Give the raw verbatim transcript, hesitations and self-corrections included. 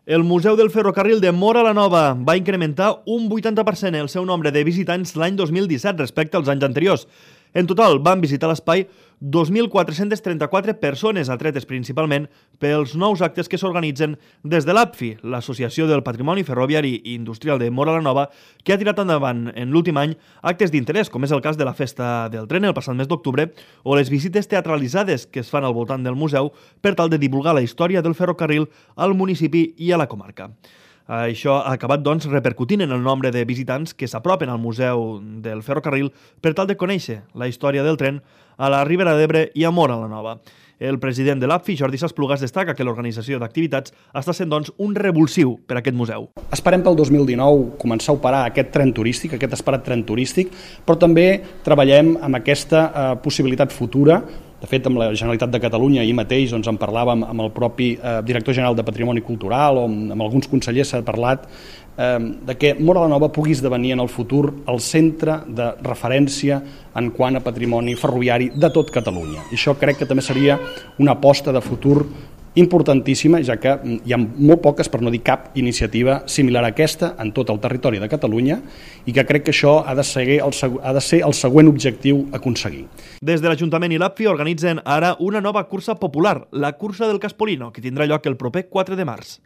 El Museu del Ferrocarril de Móra la Nova va incrementar un vuitanta per cent el seu nombre de visitants l'any dos mil disset respecte als anys anteriors. En total van visitar l'espai dos mil quatre-cents trenta-quatre persones, atretes principalment pels nous actes que s'organitzen des de l'A P F I, l'Associació del Patrimoni Ferroviari i Industrial de Móra la Nova, que ha tirat endavant en l'últim any actes d'interès, com és el cas de la Festa del Tren el passat mes d'octubre, o les visites teatralitzades que es fan al voltant del museu per tal de divulgar la història del ferrocarril al municipi i a la comarca. Això ha acabat, doncs, repercutint en el nombre de visitants que s'apropen al Museu del Ferrocarril per tal de conèixer la història del tren a la Ribera d'Ebre i a Móra la Nova. El president de l'A P F I, Jordi Sasplugas, destaca que l'organització d'activitats està sent, doncs, un revulsiu per a aquest museu. Esperem pel dos mil dinou començar a operar aquest tren turístic, aquest esperat tren turístic, però també treballem amb aquesta eh, possibilitat futura. De fet, amb la Generalitat de Catalunya ahir mateix doncs, en parlàvem amb el propi eh, director general de Patrimoni Cultural o amb, amb alguns consellers s'ha parlat eh, de que Móra la Nova pugui esdevenir en el futur el centre de referència en quant a patrimoni ferroviari de tot Catalunya. I això crec que també seria una aposta de futur importantíssima, ja que hi ha molt poques, per no dir cap, iniciativa similar a aquesta en tot el territori de Catalunya i que crec que això ha de ser el, ha de ser el següent objectiu a aconseguir. Des de l'Ajuntament i l'A P F I organitzen ara una nova cursa popular, la Cursa del Caspolino, que tindrà lloc el proper quatre de març.